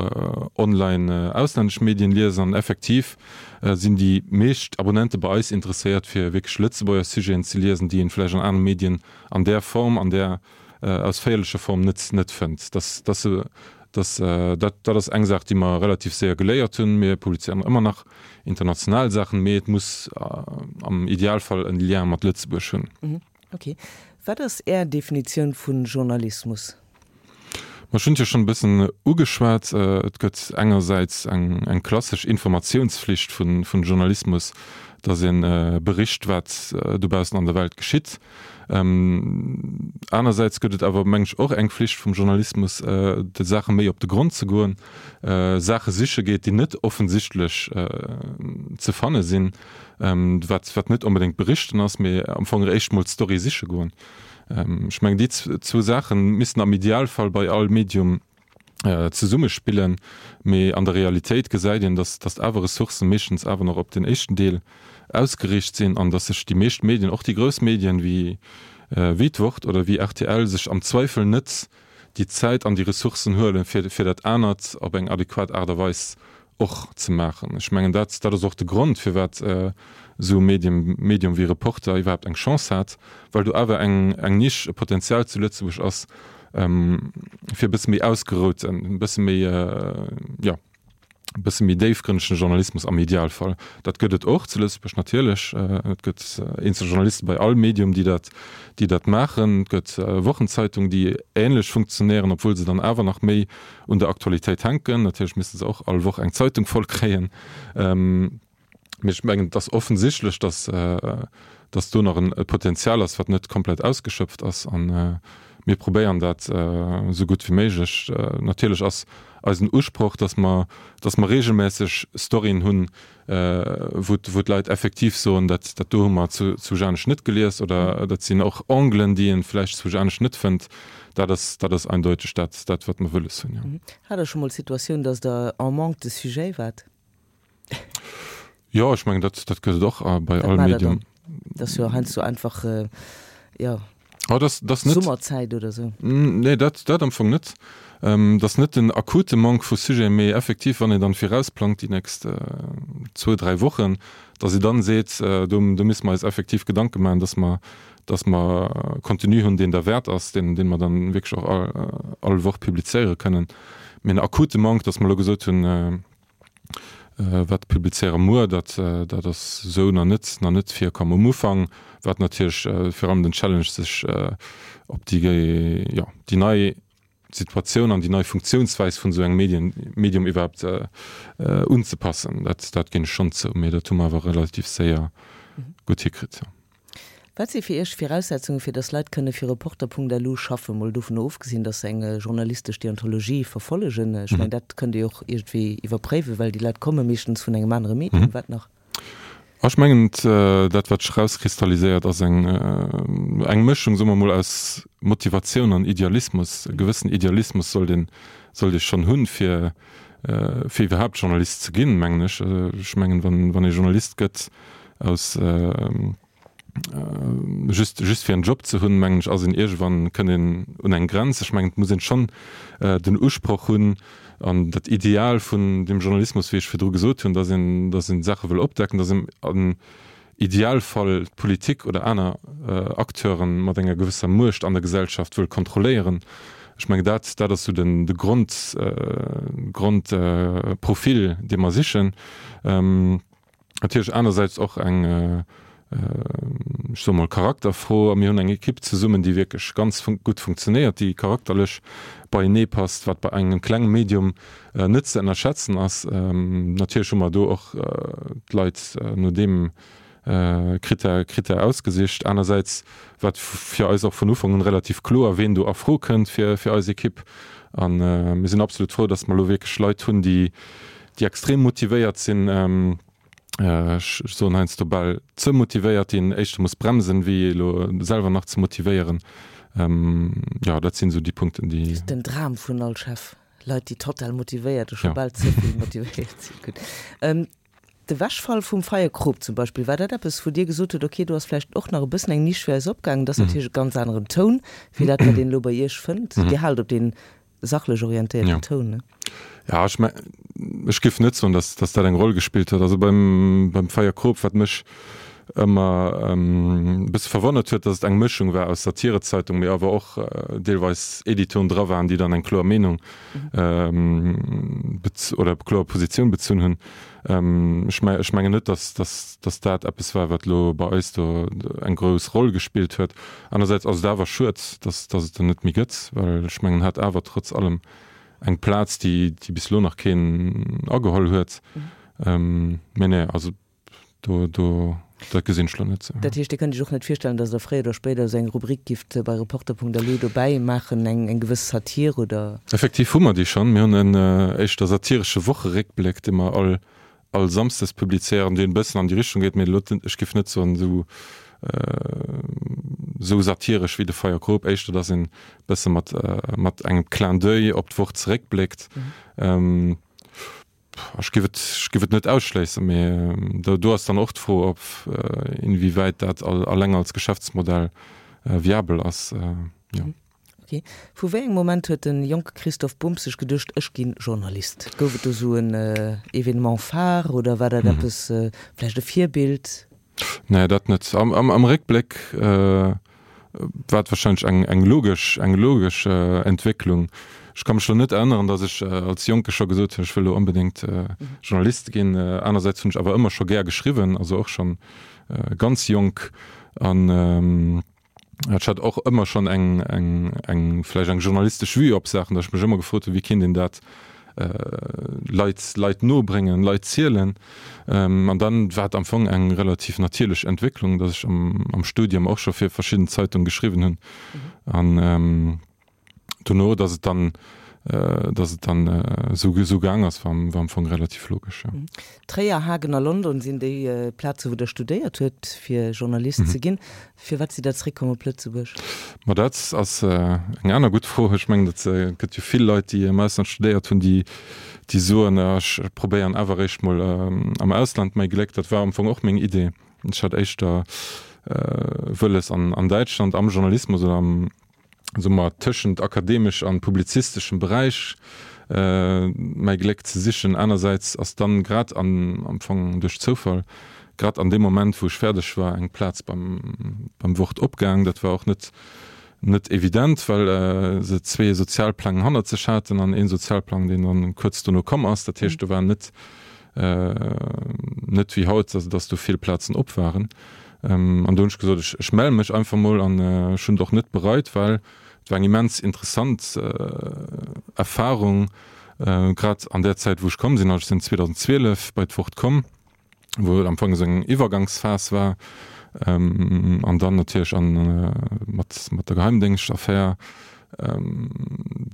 online auslännesch Medien liesen an effektiv sinn déi meescht Abonnente bei eis interesséiert fir wierklech Lëtzebuerger Sujeten ze liesen, déi een vläicht an anere Medien an där Form, an där ausféierlecher Form net net fënnt. Dass dass se dass dat dat ass eng Saach, déi mer relativ séier geléiert hunn. Mir publizéieren ëmmer nach international Saachen, mee et muss am Idealfall en Lien mat Lëtzebuerg hunn. Ok. Wat ass Är Definitioun vu Journalismus? Ma ech hunn et jo schonn e bëssen ugeschwat. Et gëtt engersäits eng eng klassesch Informatiounsflicht vun vun Journalismus, datt ee bericht, wat dobaussen an der Welt geschitt. Anersäits gëtt et awer, meng ech, och eng Flicht vum Journalismus, de Saache méi op de Grond ze goen, Saache siche geet, déi net offensichtlech ze fanne sinn, wat wat net onbedéngt berichten ass, mee am Fong eréischt mol d'Story siche goen. Ech mengen, déi zwou Saache missten am Idealfall bei all Medium zesummespillen, mee an der Realitéit gesäit een, datt datt awer Ressourcë meeschtens awer nach op den éischten Deel ausgeriicht sinn an datt sech déi meescht Medien, och déi grouss Medien wéi wéi d'Wort oder wéi rtl, sech am Zweifel net déi Zäit an déi Ressourcen huelen, fir fir dat anert op eng adequat Aart a Weis och ze maachen. Ech mengen, dat, dat ass och de Grond, firwat esou e Medium, Medium wéi Reporter iwwerhaapt eng Chance hat, well do awer eng, eng Nisch, e Potenzial zu Lëtzebuerg ass, fir e bësse méi ausgerouten, e bësse méi, jo, e bësse méi déifgrënnegen Journalismus am Idealfall. Dat gëtt et och zu Lëtzebuerg natierlech. Et gëtt eenzel Journaliste bei all Medium, déi dat, déi dat maachen. Et gëtt Wochenzeitung, déi ähnlech funktionéieren, obwuel se dann awer nach méi un der Aktualitéit hänken. Natierlech misste se och all Woch eng Zeitung voll kréien. Mee ech mengen, et ass offensichtlech, datt, datt do nach e Potenzial ass, wat net komplett ausgeschöpft ass. A mir probéieren dat esou gutt wéi méiglech. Natierlech ass eisen Usproch, datt mer, datt mer regelmässeg Storyen hunn, wou wou d'Leit effektiv soen, dat dat do hu mer zu zu Janesch net gelies oder dat sinn och Anglen, déi een vläicht zu Janesch net fënnt. Dat ass dat ass eindeuteg dat dat wat mer wëlles hunn, jo. Hat Der scho mol d'Situatioun, datt Der en manque de sujet waart? Jo, ech mengen dat dat gëtt et och bei all Medium. Dat ass jo heiansdo einfach, jo. Oh, das, das net, Summerzäit oder sou. Nee, dat, dat am Fong net. Ähm, dat ass net den akute Manque vu Sujeten, mee effektiv, wann een dann virausplangt déi nächst äh, zwou, dräi Wochen, dass ee dann seet, äh, do, do misse mer eis effektiv Gedanke maachen, dass mer, dass mer Contenu hunn, deen derwäert ass, deen, deen mer dann wierklech och all, all Woch publizéiere kënnen. Mee en akute Manque, dass mer elo gesot hunn, äh, Wat publizéiere muer, dat dat ass esou nach net nach net virkomm. Um Ufank war et natierlech virun allem den Challenge sech op déi jo déi nei Situatioun an déi nei Funktiounsweis vun esou engem Medien Medium iwwerhaapt unzepassen. Dat dat ginn ech schonn zou, mee dat hu mer awer relativ séier gutt hikritt, jo. Wat si fir Iech d'Viraussetzungen, fir datt Leit kënne fir Reporter.lu schaffen? Mol dovun ofgesinn, datt se eng journalistesch Deontologie verfollegen. Ech mengen, dat kënnt Dir jo och iergendwéi iwwerpréiwen, well déi Leit komme meeschtens vun engem anere Medium. Wat nach? Ech mengen, dat wat sech erauskristalliséiert, ass eng eng Mëschung, soe mer mol, aus Motivatioun an Idealismus. E gewëssen Idealismus sollt een sollt ee schonn hunn, fir fir iwwerhaapt Journalist ze ginn, mengen ech. Ech mengen, wann wann ee Journalist gëtt, aus just just fir en Job ze hunn, mengen ech, ass een iergendwann, kënnt een un eng Grenz. Ech mengen, et muss een schonn den Usproch hunn an dat Ideal vun dem Journalismus, wéi ech virdru gesot hunn, datt een, datt een Saache wëll opdecken, datt een am Idealfall d'Politik oder aner Acteure mat enger gewësser Muecht an der Gesellschaft wëll kontrolléieren. Ech mengen, dat dat ass esou den de Grond Grondprofil, dee mer sichen. Natierlech anersäits och eng, ech soe mol, Charakterfro. A mir hunn eng Ekipp zesummen, déi wierklech ganz gutt funktionéiert, déi charakterlech beienee passt, wat bei engem klenge Medium net ze ënnerschätzen ass. Natierlech hu mer do och d'Leit no deem Critère Critère ausgesicht. Anersäits war et fir eis och vun Ufank un relativ kloer, ween do a Fro kënnt fir fir eis Ekipp. A mir sinn absolut frou, datt mer elo wierklech Leit hunn, déi déi extrem motivéiert sinn. Ech soen heiansdo bal ze motivéiert, déi een éischter muss bremsen, wéi elo selwer nach ze motivéieren. Jo, dat sinn esou déi Punkten, déi. Den Dram vun all Chef, Leit, déi total motivéiert a scho bal ze vill motivéiert sinn. Gutt. D'Ewechfall vum Feierkrop zum Beispill, war dat eppes, wou Dir gesot hutt, okay, do ass vläicht och nach e bëssen eng Nisch fir eis opgaangen? Dat ass natierlech e ganz aneren Toun, wéi dat, wat een elo bei Iech fënnt. Dir haalt op dee sachlech orientéierten Toun, ne? Ja, ech me ech géif net soen, datt datt dat eng Roll gespillt huet. Also beim beim Feierkrop, wat mech ëmmer e bësse verwonnert huet, datt et eng Mëschung war aus Satirezeitung, mee awer och deelweis Editoren dra waren, déi dann eng kloer Meenung oder kloer Positioun bezunn hunn. Ech me ech mengen net, datt datt datt dat eppes war, wat elo bei eis do eng grouss Roll gespillt huet. Anersäits ass et awer schued, datt datt et en net méi gëtt, well ech mengen, en hat awer trotz allem eng Plaz, déi déi bis elo nach keen ageholl huet. Mee nee, also do do dat gesinn ech elo net esou. Dat heescht, Dir kënnt Iech och net virstellen, datt Der fréier oder spéider esou eng Rubrik gifft bei Reporter.lu dobäi maachen, eng eng gewëss Satir oder? Effektiv hu mer déi schonn. Mir hunn en éischter satiresche Wocheréckbléck, dee mer all all Samsdes publizéieren, deen e bëssen an déi Richtung geet, mee elo ech géif net soen esou esou satiresch wéi de Feierkrop, éischter datt een e bësse mat mat engem Clin d'oeil op d'Woch zeréckbléckt. Ech géif et ech géif et net ausschléissen, mee do do ass dann och d'Fro, ob inwiewäit dat alleng als Geschäftsmodell viabel ass, jo. Ok. Vu wéi engem Moment huet de jonke Christoph Bumb sech geduecht, ech ginn Journalist? Gouf et do sou en Événement phare oder war dat eppes, vläicht e Virbild? Nee, dat net. Am Réckbléck war et warscheinlech eng logesch, eng logesch Entwécklung. Ech ka mech elo net erënneren, datt ech als Jonke scho gesot hunn, ech wëll elo onbedéngt Journalist ginn. Anersäits hunn ech awer ëmmer scho gär geschriwwen, also och schonn ganz jonk. An Ech hat och ëmmer schonn eng, eng, eng, vläicht eng journalistesch Vue op Saachen, datt ech mech ëmmer gefrot hunn, wéi kéint een dat Leit, Leit no bréngen, Leit zielen. An dann war et am Fong eng relativ natierlech Entwécklung, datt ech am, am Studium och scho fir verschidden Zeitunge geschriwwen hunn. An dono, datt et dann, datt et dann esou, esou gaang ass, war, war am Fong relativ logesch, jo. Tréier, Hagen a London sinn déi Plaze wou Der studéiert huet fir Journalist ze ginn. Firwat sidd Der zeréckkomm op Lëtzebuerg? Ma dat ass eng aner gutt Fro. Ech mengen, et gëtt jo vill Leit, déi am Ausland studéiert hunn, déi, déi soen, ech probéieren awer eréischt mol am Ausland mäi Gléck. Dat war am Fong och meng Idee. Ech hat éischter wëlles an Däitschland am Journalismus oder am, soe mer, tëschent akademesch an publizisteschem Beräich mäi Gléck ze sichen. Anersäits ass dann grad an, am Fong duerch Zoufall, grad an deem Moment, wou ech fäerdeg war, eng Plaz beim, beim Wort opgaang. Dat war och net, net evident, well se zwee Sozialpläng hannert sech haten an ee Sozialplang, deen dann kuerz dono komm ass. Dat heescht, do war net, net wéi haut, dass, dass do vill Plazen op waren. An do hunn ech gesot, ech, ech melle mech einfach mol an ech hunn et och net bereit, well et war eng immens interessant Erfahrung, grad an där Zäit, wou ech komm sinn. Also ech sinn 2012 bei d'Wort komm, wou et am Fong esou eng Iwwergangsphas war an dann natierlech an mat, mat der Geheimdéngschtaffär,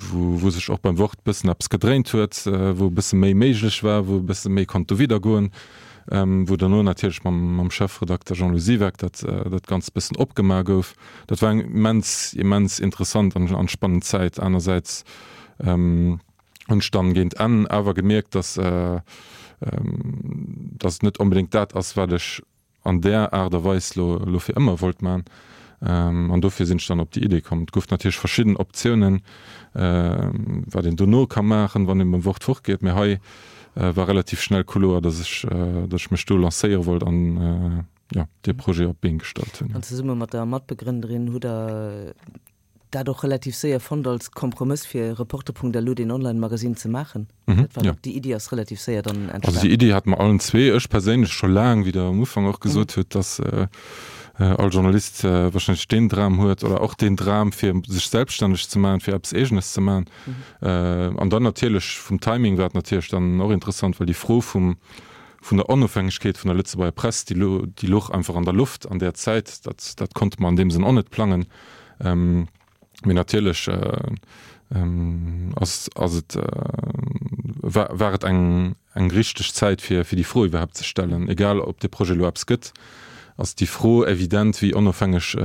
wou, wou sech och beim Wort bëssen eppes gedréint huet, wou e bësse méi méiglech war, wou e bësse méi konnt dowidder goen. Wou derno natierlech mam Chefredakter Jean-Lou Siweck dat dat Ganzt bëssen opgemaach gouf. Dat war eng immens, immens interessant an spannend Zäit. Anersäits hunn ech dann géint Enn awer gemierkt, dass dass et net onbedéngt dat ass, wat ech an där Aart a Weis lo lo fir ëmmer wollt man. An dofir sinn ech dann op déi Idee komm. Et gouf natierlech verschidden Optiounen, wat een dono ka maachen, wann een beim Wort fortgeet, mee hei war relativ schnell kloer, dass ech, dass ech mech do lancéiere wollt an, jo, dee Projet op d'Been gestallt hunn. An zesumme mat der Matbegrënnerin hutt Der dat och relativ séier fonnt als Kompromëss fir Reporter.lu, deen Online-Magasinn ze maachen? Dat war, déi Iddi ass relativ séier dann entstanen. Also déi Iddi hate mer allen zwee, ech perséinlech scho laang, wéi Der am Ufank och gesot hutt, dass all Journalist wahrscheinlech deen Dram huet oder och deen Dram fir sech selbststänneg ze maachen, fir eppes Eegenes ze maachen. An dann natierlech vum Timing war et natierlech dann och interessant, well déi Fro vum, vun der Onofhängegkeet vun der Lëtzebuerger Press, déi déi louch einfach an der Loft an där Zäit. Dat, dat konnte mer an deem Sënn och net plangen. Mee natierlech ass, ass et, war, war et eng, eng richteg Zäit fir fir déi Fro iwwerhaapt ze stellen. Egal ob de Projet elo eppes gëtt, ass déi Fro evident, wéi onofhängeg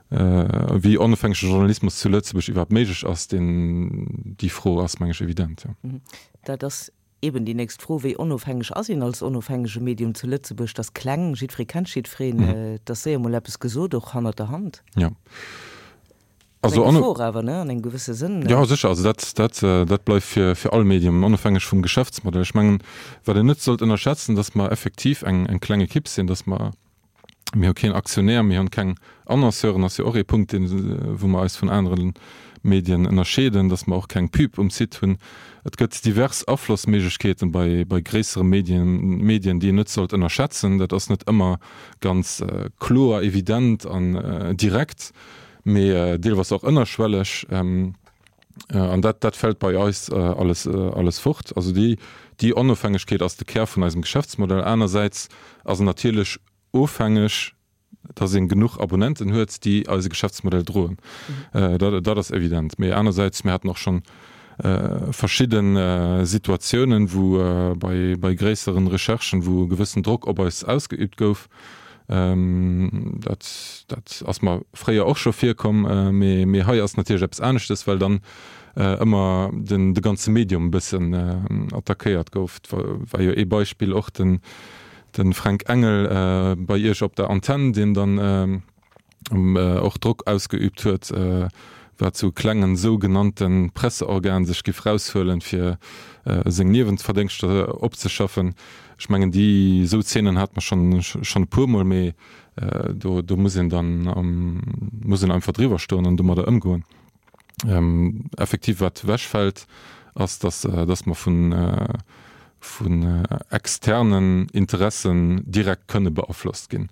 wéi onofhängege Journalismus zu Lëtzebuerg iwwerhaapt méiglech ass. Deen déi Fro ass, meng ech, evident, jo. Dat ass Eben déi nächst Fro, Wéi onofhängeg ass een als onofhängege Medium zu Lëtzebuerg? 't ass kleng, jiddweree kennt jiddwereen, et ass séier mol eppes gesot, och hannert der Hand. Jo. Also eng Gefor awer, ne, an engem gewësse Sënn. Jo, sécher. Also dat, dat, dat bleift fir, fir all Medium, onofhängeg vum Geschäftsmodell. Ech mengen, wat een net sollt ënnerschätzen, datt mer effektiv eng, eng kleng Ekipp sinn, datt mer, Mir hu keen Aktionär, mir hunn keng Annonceuren, ass jo och ee Punkt, deen, wou mer eis vun anere Medien ënnerscheeden, datt mer och keng Pub um Site hunn. Et gëtt divers Aflossméiglechkeeten bei, bei gréissere Medien, Medien, déi een net sollt ënnerschätzen. Dat ass net ëmmer ganz kloer, evident an direkt, mee deelweis och ënnerschwelleg. An dat, dat fält bei eis alles, alles fort. Also déi, déi Onofhängegkeet ass de Kär vun eisem Geschäftsmodell. Anersäits ass en natierlech ofhängeg, dass ee genuch Abonnenten huet, déi eise Geschäftsmodell droen. Dat, dat ass evident. Mee anersäits, mir haten och schonn verschidde Situatiounen, wou bei, bei gréisseren Recherchen, wou e gewëssen Drock op eis ausgeübt gouf, Dat, dat ass mer fréier och scho virkomm, mee, mee hei ass natierlech eppes aneschtes, well dann ëmmer den, de ganze Medium e bëssen attackéiert gouf. Et war jo ee Beispill och den, de Fränk Engel bei Iech op der Antenn, deen dann och Drock ausgeübt huet, wat sou klengen sougenannte Presseorgan sech giff raushuelen, fir seng Niewenverdéngschter opzeschaffen. Ech mengen, déi esou Zeenen hat mer schonn schonn e puermol, mee do do muss een dann muss een einfach driwwer stoen an domadder ëmgoen. Effektiv wat ewechfält, ass, datt datt mer vun vun externen Interessen direkt kënne beaflosst ginn.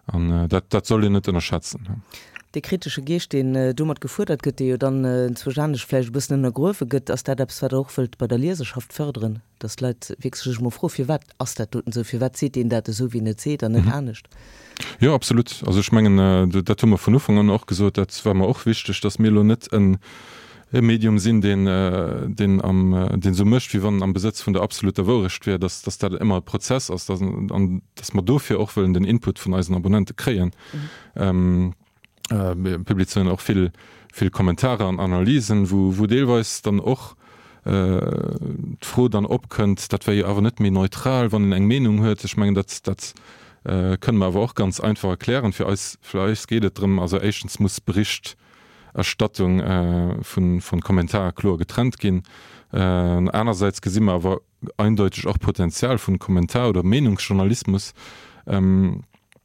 An dat dat soll een net ënnerschätzen. Dee kritesche Geescht, deen domat gefuerdert gëtt, dee jo dann enzwousch anescht vläicht e bëssen ënnergruewe gëtt, ass dat eppes, wat Der och wëllt bei der Lieserschaft fërderen, datt d'Leit wierklech sech emol froen, firwat ass dat doten esou, firwat seet deen dat esou, wéi en et seet an net anescht? Jo, absolut. Also ech mengen, dat hu mer vun Ufank an och gesot, dat war mer och wichteg, datt mir elo net en e Medium sinn, deen, deen am, deen esou mécht, wéi wann en am Besëtz vun der absoluter Wourecht wier, dass, dass dat ëmmer e Prozess ass, dass, an dass mer dofir och wëllen den Input vun eisen Abonnente kréien. Mir publizéieren och vill, vill Kommentarer an Analysen, wou, wou deelweis dann och d'Fro dann opkënnt, dat wär jo awer net méi neutral, wann een eng Meenung huet. Ech mengen, dat, dat kënne mer awer och ganz einfach erklären. Fir eis, fir eis geet et drëm, also éischtens muss Bericht, Erstattung vun Kommentare kloer getrennt ginn. Anersäits gesi mer awer eindeuteg och Potenzial vun Kommentar oder Meenungsjournalismus,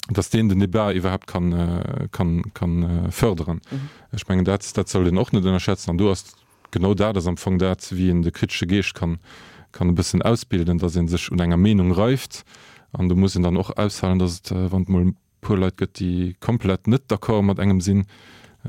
dass deen den Debat iwwerhaapt kann, kann, kann förderen. Ech mengen, dat, dat sollt een och net ënnerschätzen. An do ass genau dat ass am Fong dat, wéi een de kritesche Geescht kann, kann e bëssen ausbilden, dass ee sech un enger Meenung reift. An do muss een dann och aushalen, dass et, wann et mol puer Leit gëtt, déi komplett net d'accord mat engem sinn,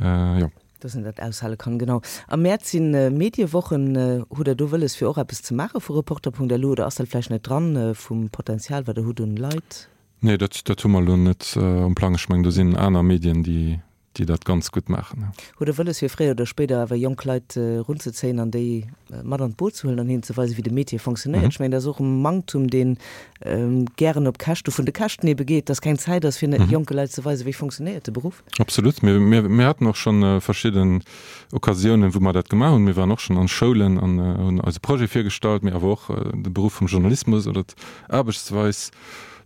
jo. Dass een dat aushale kann, genau. Am Mäerz si Mediewochen. Hutt Der do wëlles fir och eppes ze maache vu Reporter.lu oder ass dat vläicht net dran vum Potenzial wat Der hutt un Leit? Nee, dat, dat hu mer elo net um Plang. Ech mengen, do sinn aner Medien, déi, déi dat ganz gutt maachen. Hutt Der wëlles fir fréier oder spéider awer jonk Leit erunzezéien an déi mat an d'Boot ze huelen an hinnen ze weisen, wéi de Métier fonctionnéiert? Ech mengen, dat ass och e Manktum, dee gären op Käschte vun de Käschten ebe geet, dass keng Zäit ass, fir jonke Leit ze weisen, wéi fonctionnéiert de Beruff. Absolut. Mir, mir, mir haten och schonn verschidden Occasiounen, wou mer dat gemaach hunn. Mir waren och schonn an Schoulen an hunn eise Projet virgestallt, mee awer och de Beruff vum Journalismus oder d'Aarbechtsweis.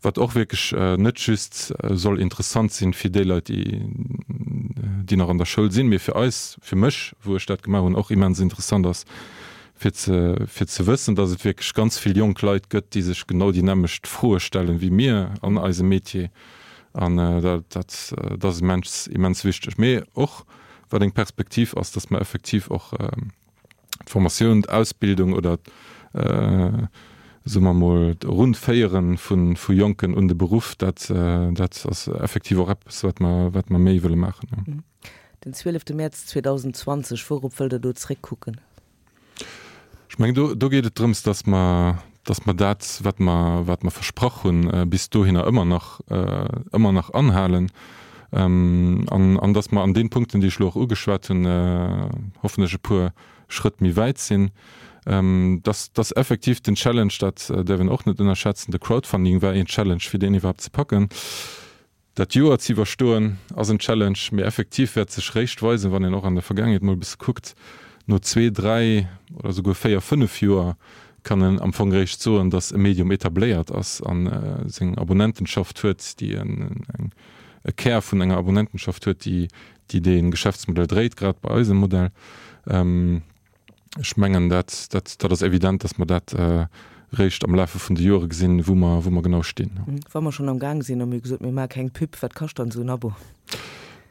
Wat och wierklech net just soll interessant sinn fir déi Leit, déi, déi nach an der Schoul sinn, mee fir eis, fir mech, wou ech dat gemaach hunn, och immens interessant ass, fir ze, fir ze wëssen, dass et wierklech ganz vill jonk Leit gëtt, déi sech genau déi nämmlecht Froe stellen wéi mir an eisem Metier. An dat, dat, dat ass immens, immens wichteg. Mee och wat eng Perspektiv ass, dass mer effektiv och, d'Formatioun, d'Ausbildung oder, soe mer emol, d'Erunféiere vu Jonken un de Beruff, dat, dat ass effektiv och eppes, wat mer, wat mer méi wëlle maachen. Den 12 Mäerz 2020, wourop wëllt Der do zréckkucken? Ech mengen, do, do geet et drëms, dass mer, dass mer dat, wat mer, wat mer versprach hunn, bis dohinner ëmmer nach, ëmmer nach anhalen an, an dass mer an deene Punkten, déi ech elo och ugeschwat hunn, hoffentlech e puer Schrëtt méi wäit sinn. Dass dass effektiv den Challenge, dat däerf een och net ënnerschätzen, de Crowdfunding war een Challenge fir deen iwwerhaapt ze packen. Dat Joer ze iwwerstoen ass en Challenge, mee effektiv wäert sech réischt weisen, wann een och an der Vergaangenheet mol e bësse kuckt, no zwee, dräi oder souguer véier, fënnef Joer kann en am Fong réischt soen, datt e Medium etabléiert ass a seng Abonnentenschaft huet, déi eng e Kär vun enger Abonnentenschaft huet, déi déi dee Geschäftsmodell dréit, grad bei eisem Modell. Ech mengen, dat, dat, dat ass evident, dass mer dat réischt am Lafe vun de Joere gesinn, wou mer, wou mer genau stinn. Wa mer schonn am Gaang sinn, a mir hu gesot, mir maache keng Pub, wat kascht dann esou en Abo?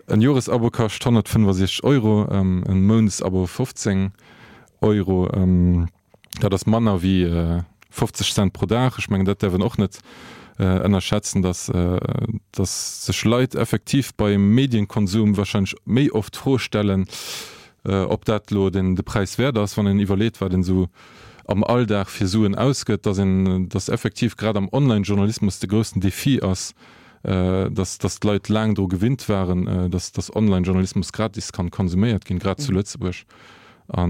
En Joresabo kascht 165 Euro, e Mountsabo 15 Euro. Dat ass manner wéi 50 Cent pro Dag. Ech mengen, dat däerf een och net ënnerschätzen, dass, dass sech Leit effektiv beim Medienkonsum wahrscheinlech méi oft d'Fro stellen, ob dat elo den de Präis wäert ass, wann een iwwerleet, wat een esou am Alldag fir Suen ausgëtt, dass een, dass effektiv grad am Online-Journalismus de groussen Defi ass, dass, dass d'Leit laang dru gewinnt waren, dass, dass Online-Journalismus gratis kann konsuméiert ginn, grad zu Lëtzebuerg. A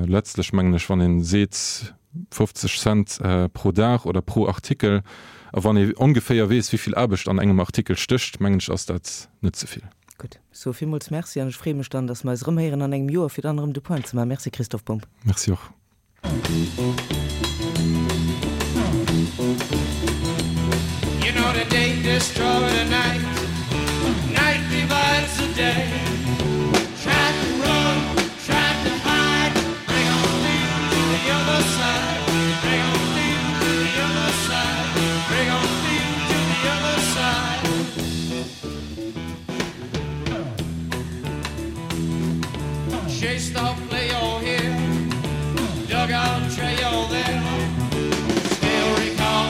letztlech mengen ech, wann ee seet 50 Cent pro Dag oder pro Artikel, a wann ee ongeféier weess, wéi vill Aarbecht an engem Artikel stécht, mengen ech, ass dat net ze vill. Gutt, ech soe villmools Merci an ech freeë mech dann, dass mer eis erëmhéieren an engem Joer, fir dann erëm de Point ze maachen. Merci Christoph Bumb. Merci och. You know the day destroy the night, night divides the day. Try to run, try to hide, break on through to the other side, break on through to the other side, break on through to the other side. Chase the play all here, dug out trail there. Still recall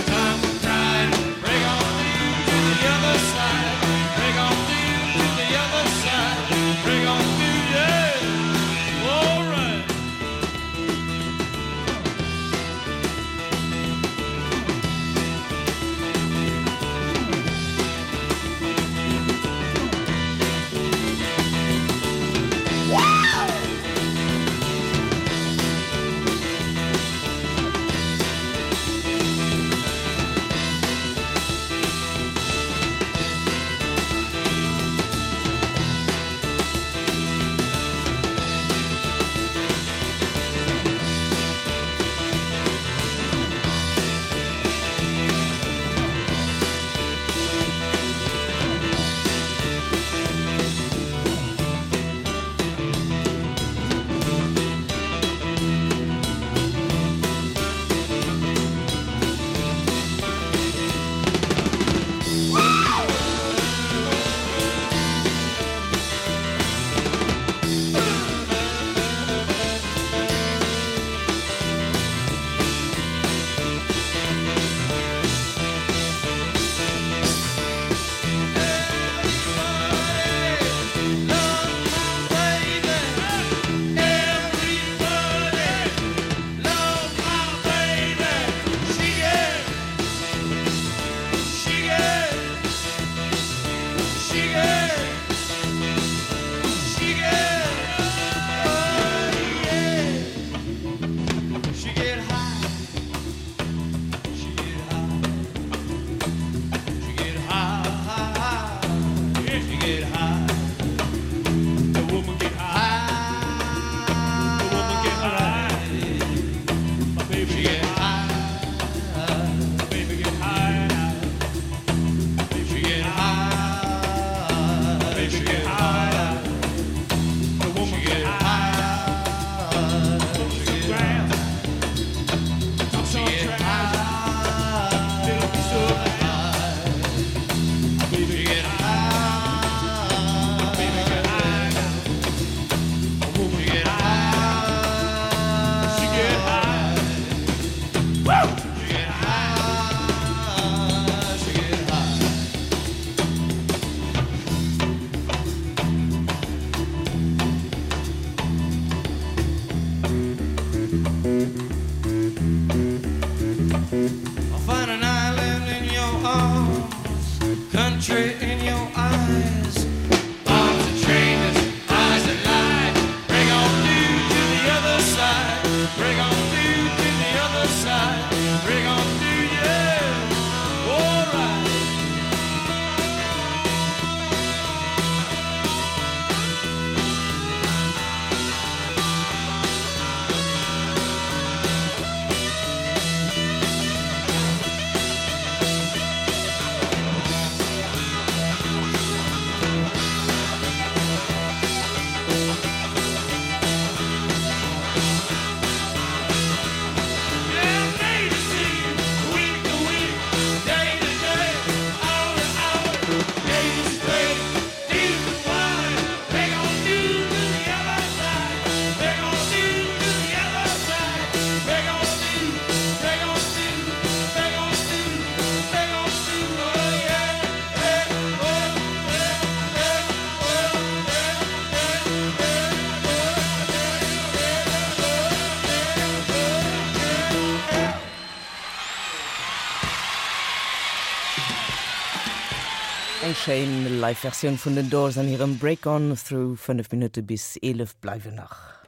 time for crying. Break on through to the other side. Break on through to the other side. Break on through, yeah. All right. Eng schéin Live Versioun vun den Doors an hirem Break On Through. 5 Minutte bis 11 bleiwen nach.